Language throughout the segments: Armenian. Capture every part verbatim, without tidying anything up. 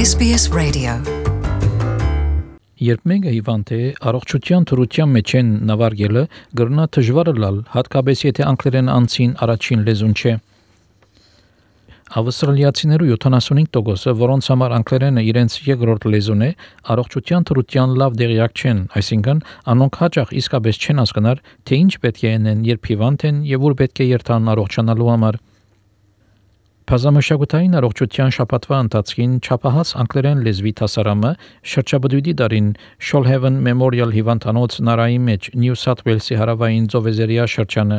S B S Radio. Երբ մեկը հիվանդ է, առողջության թրության մեջ են նավարգելը գրնա դժվար լալ, հատկապես եթե անգլերեն անցին առաջին լեզուն չէ։ Ավստրալիացիներու յոթանասունհինգ տոկոսը, որոնց համար անգլերենը իրենց երկրորդ լեզուն է, առողջության թրության լավ դեղյակ չեն, այսինքն անոնք հաճախ իսկապես չեն հասկնար, թե ինչ պետք է անեն, երբ հիվանդ են եւ ուր պետք է երթան առողջանալու համար։ Բազմամշակութային առողջության շաբաթվա ընթացքին չափահաս անգլերեն լեզվի դասարանը շրջաբդույդի դարին Shoalhaven Memorial հիվանդանոց նարայի մեջ Նյու Սաթ Ուելսի հարավային ծովեզերիա շրջանը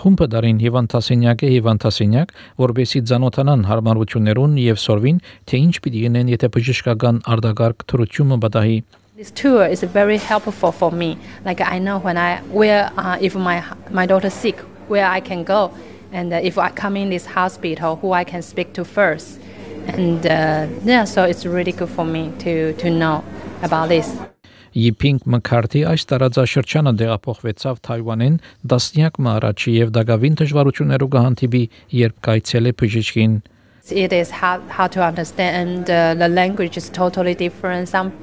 խումբը դարին հիվանդասենյակ է հիվանդասենյակ, որբեսի ծանոթանան հարմարություններուն եւ սորվին, թե ինչ պիտի գնեն, եթե բժշկական արտակարգ թրությունը բադահի։ This tour is very helpful for me. Like I know when I where uh, if my my daughter's sick, where I can go. And uh, if I come in this hospital, who I can speak to first. And uh, yeah, so it's really good for me to, to know about this. Yiping McCarthy այս տարածաշրջանը դեղափոխվեցավ Թայվանեն տասնյակ մը առաջ եւ դակավին դժվարություններով կհանդիպի, երբ կայցել է բժշկին. It is hard, hard to understand. Uh, the language is totally different. Some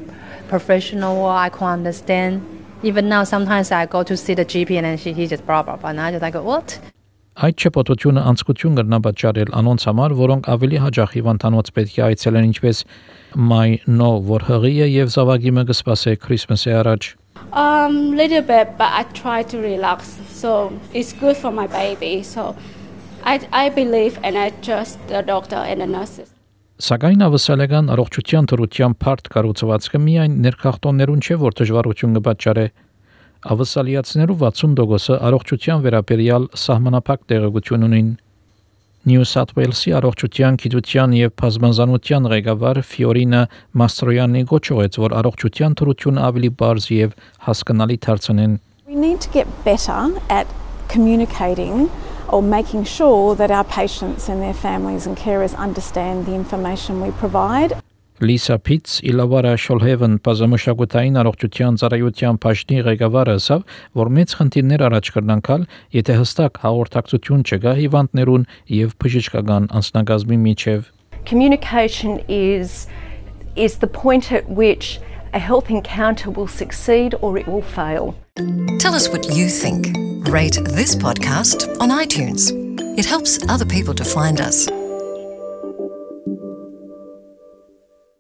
professional I can't understand. Even now, sometimes I go to see the G P and then she, he just blah, blah, blah. And I just like, what? Այդ չպոտությունը անցկություն կրնա պատճառել անոնց համար, որոնք ավելի հաճախ հիվանդանոց պետք է այցելեն, ինչպես My No, որ հղի է եւ զավակի մը կսպասե Christmas-ի առաջ. Um, little bit, but I try to relax. So it's good for my baby. So I I believe and I trust the doctor and the nurses. Սակայն ավսալական առողջության թրության բարդ կառուցվածքը միայն ներքախտոններուն չէ, որ դժվարություն կպատճառե։ Ավսալիացիներու վաթսուն տոկոսը առողջության վերաբերյալ սահմանափակ տեղեկություն ունին։ Նյու Սաթ Ուելսի առողջության գիտության եւ բազմազանության ղեկավար Ֆիորինա Մաստրոյանի գոչեց, որ առողջության թրությունը ավելի բարձ եւ հասկանալի դարձնեն։ We need to get better at communicating or making sure that our patients and their families and carers understand the information we provide. Lisa Pitts, Իլավարա Shoalhaven բազմամշակութային առողջության ծառայության բաժնի ղեկավարը ասավ, որ մեծ խնդիրներ առաջ կրնանքալ, եթե հստակ հաղորդակցություն չկա հիվանդներուն եւ բժշկական անձնակազմի միջև. Communication is is the point at which a health encounter will succeed or it will fail. Tell us what you think. Rate this podcast on iTunes. It helps other people to find us.